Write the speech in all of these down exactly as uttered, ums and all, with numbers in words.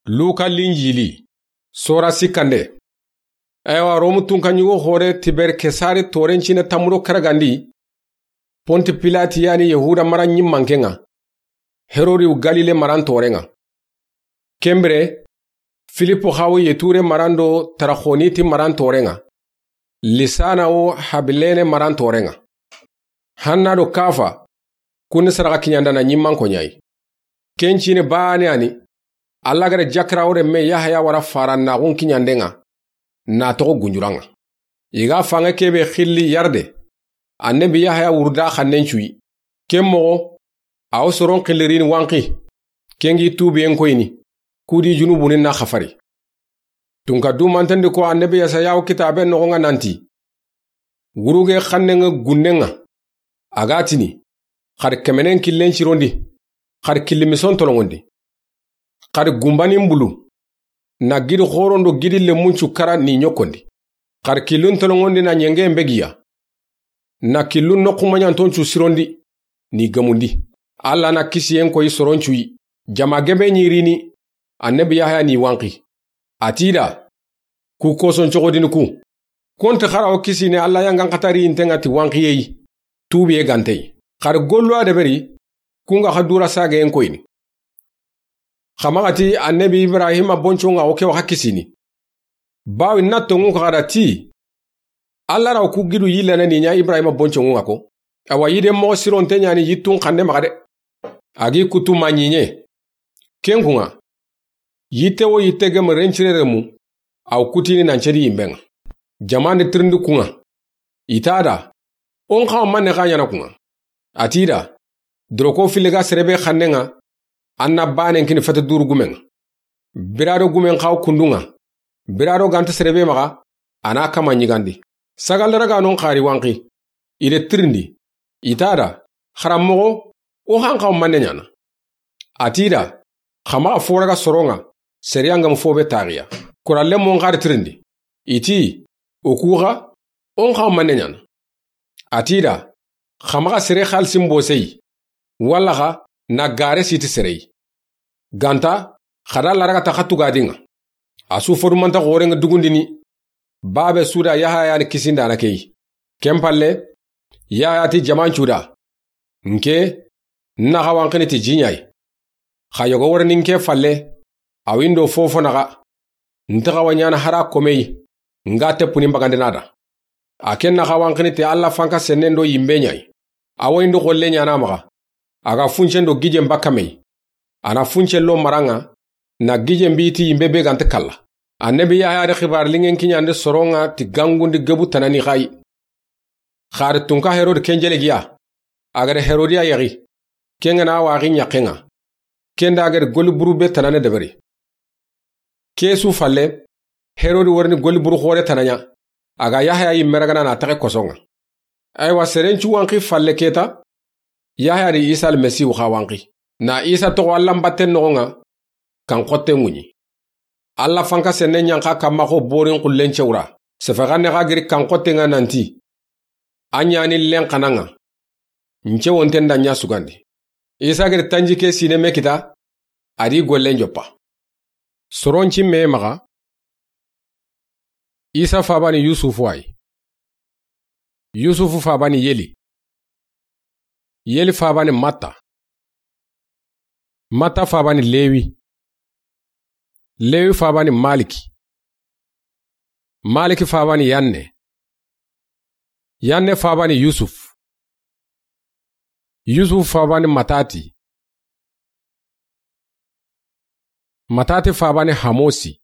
Luka Linjili, sora sikkande. Ewa, Romu tunka ɲugo xoore Tiber Kesari tooren ciine tanmu do karagandi, Ponti Pilati yani Yahuda mara ɲimmanke ŋa, Herodi wo Galile maran tooren ŋa. Ken bire, Filipo xa wo Yeture maran do Taraxoniti maran tooren ŋa, Lisana wo Habilene maran tooren ŋa. Hanna do Kafa, kun ni sadaxa kiɲandana ɲimmanko ɲa yi. Ken ciine baane ya ni, Alla ga da jakarawo renme Yahaya wara farannaxun kiɲanden ŋa, na toxo gunjuran ŋa. I ga fanŋe ke be xilli Yarde, Annabi Yahaya wuruda xannen cu yi. Ken moxo, a wo soron xillirini wanxi, ken gi tuubiyen koyini, ku di junubuni na xafari. Tunka dumanten di ko Annabi Yesaya wo kitaaben noxon ŋa nanti, wuruge xannen ŋa gunnen ŋa, a ga tini, xa di kemenen killen cirondi, xa di killi mison tolonŋondi, xa di gumbanin bulu, na gidi xoron do gidi lemmun cu kara ni ɲokkondi, xa di killun tolonŋondi na ɲengen begiya, na killun noxumaɲanton cu sirondi ni gemundi. Alla na kisiyen koyi soron cu yi. Jama gebe ɲi rini, Annabi Yahaya ni wanxi. A ti i da, ku koson coxodini ku, konti xa ra wo kisini Alla yangan xatari yinten ŋa ti wanxiye yi, tuubiye gante yi. Xa di gollu a deberi, kun ga xa dura sageyen koyini. Xa maxa ti Annabi Ibrahima bonconŋa wo ke wa xa kisini. Bawi na tonŋu xa da ti, Alla ra wo ku gidu yillana ni ɲa Ibrahima bonconŋu ŋa ko. Awa yiden moxo sironte ɲa ni yittun xanne maxa de. A gi kutu ma ɲiɲe. Ken kun ŋa, yitte wo yitte gem rencire remu, a wo kutini nan cedi yimben ŋa. Jaman di tirindi kun ŋa. I ta da, o n xa wo manne xa ɲana kun ŋa. A ti i da, doroko fili ga sere be xannen ŋa, a na baanen kini fete duuru gumen ŋa. Bira do gumen xa wo kundun ŋa, bira do ganta sere be maxa, a na kama ɲigandi. Sagal dara ga non xari wanxi, i de tirindi, i ta da, xaranmoxo, o xa n xa wo manne ɲana. A ti i da, xa maxa fo raga soron ŋa, sere ya ga ma fo be taxiya. Kuralle mo n xari tirindi, i ti, o ku xa, o n xa wo manne ɲana. A ti i da, xa maxa sere xalisin bose yi, walla xa na gare siti sere yi. Ganta, xa da laraga ta xa tugadin ŋa. A su fodumanta xoren ŋa dugundini, babe su da Yahaya ni kisindana ke yi. Ken palle, Yahaya ti jaman cu da, nke, n na xa wanxini ti ji ɲa yi. Xa yogo wori ni nke falle, a wo i ndo fofo naxa, nta xa wa ɲana hara komeyi, n ga teppuni mbagandina da. A ken na xa wanxini ti Alla fanka sennen do yimbe ɲa yi. A wo i ndo xolle ɲana maxa, a ga funcen do gijen bakka me yi. A na funcen lo maran ŋa, na gijen bi ti yimbe be ganta kalla. Annabi Yahaya di xibaar lingen kiɲandi soron ŋa ti gangundi gebu tanani xa yi. Xa di tunka Herodi ken jelegiya, a ga da Herodiya yaxi, ken ga na waxi ɲaxen ŋa. Ken da a ga da golli buru be tanane deberi. Ke su falle, Herodi wori ni golli buru xoore tana ɲa, a ga Yahaya yimme ragana na taxe koson ŋa. Aywa, seren cu wanxi falle ke ta, Yahaya di Isa Almasihu xa wanxi. Na Isa toxo Alla n batten noxon ŋa, kan xotte ŋuɲi. Alla fanka senne ɲanxa kamma xo borin xullen cewra. Sefe xanne xa giri kan xotten ŋa nanti, a ɲani len xanan ŋa, n cewonten da ɲa sugandi. Isa giri tanji ke sine me kita, a di gollen joppa. Soron cimme maxa, Isa fabani Yusufu ay. Yusufu fabani Yeli. Yeli fabani Matta. Matta fabani Lewi. Lewi fabani Maliki. Maliki fabani Yanne. Yanne fabani Yusuf. Yusuf fabani Matati. Matati fabani Hamosi.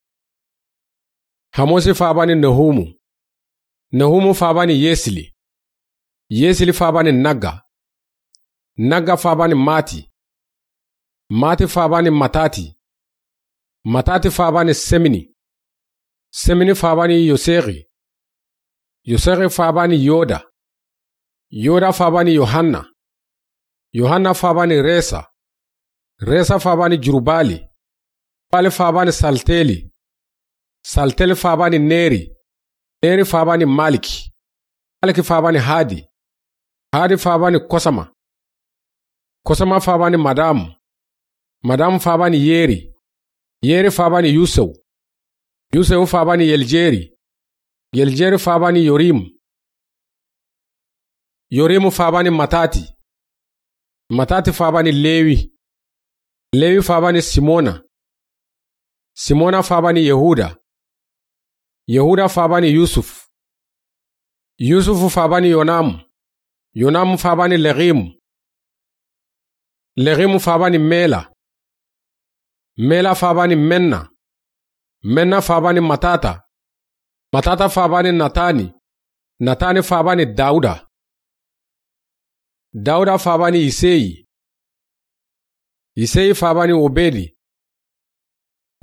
Hamosi fabani Nehumu. Nehumu fabani Yesili. Yesili fabani Nagga. Nagga fabani Mati. Mati fabani Matati. Matati fabani Semini. Semini fabani Yosegi. Yosegi fabani Yoda. Yoda fabani Yohanna. Yohanna fabani Resa. Resa fabani Jurubali. Jurubali fabani Salteli. Salteli fabani Neri. Neri fabani Maliki. Maliki fabani Hadi. Hadi fabani Kosama. Kosama fabani Madamu. Madamu fabani Yeri. Yeri faaba ni Yusew. Yusew faaba ni Yeljeri. Yeljeri faaba ni Yorim. Yorim faaba ni Matati. Matati faaba ni Lewi. Lewi faaba ni Simona. Simona faaba ni Yehuda. Yehuda faaba ni Yusuf. Yusuf faaba ni Yonam. Yonam faaba ni Legim. Legim faaba ni Mela. Mela faaba ni Menna. Menna faaba ni Matata. Matata faaba ni Natani. Natani faaba ni Dauda. Dauda faaba ni Iseyi. Iseyi faaba ni Obedi.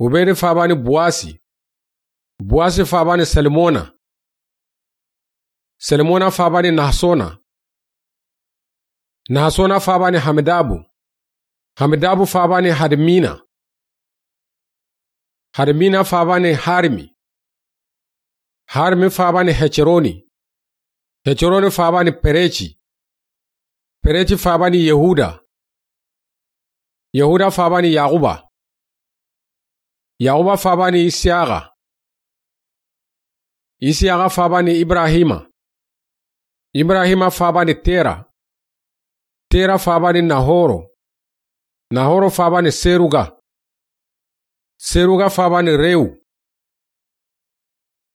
Obedi faaba ni Buwasi. Buwasi faaba ni Salmona. Salmona faaba ni Nahasona. Nahasona faaba ni Hamidabu. Hamidabu faaba ni Hadmina. Hadmina faaba ni Harimi. Harimi faaba ni Heceroni. Heceroni faaba ni Pereci. Pereci faaba ni Yehuda. Yehuda faaba ni Yaxuba. Yaxuba faaba ni Isiyaxa. Isiyaxa faaba ni Ibrahima. Ibrahima faaba ni Tera. Tera faaba ni Nahoro. Nahoro faaba ni Seruga. Seruga faaba ni Rewu.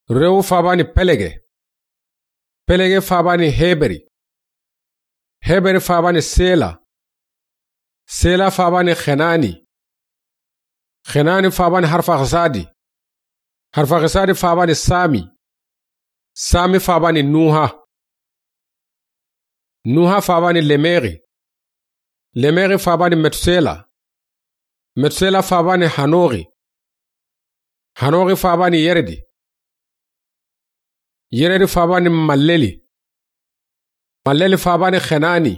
Rewu faaba ni Pelege. Pelege faaba ni Heberi. Heberi faaba ni Sela. Sela faaba ni Xenani. Xenani faaba ni Harfaxisadi. Harfaxisadi faaba ni Sami. Sami faaba ni Nuha. Nuha faaba ni Lemexi. Lemexi faaba ni Metusela. Metusela faaba ni Hanoxi. Hanoxi faaba ni Yeredi. Yeredi faaba ni Malleli. Malleli faaba ni Xenani.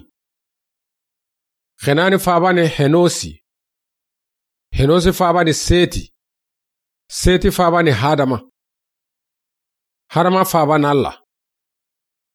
Xenani faaba ni Henosi. Henosi faaba ni Seti. Seti faaba ni Hadama. Hadama faaba ni Alla.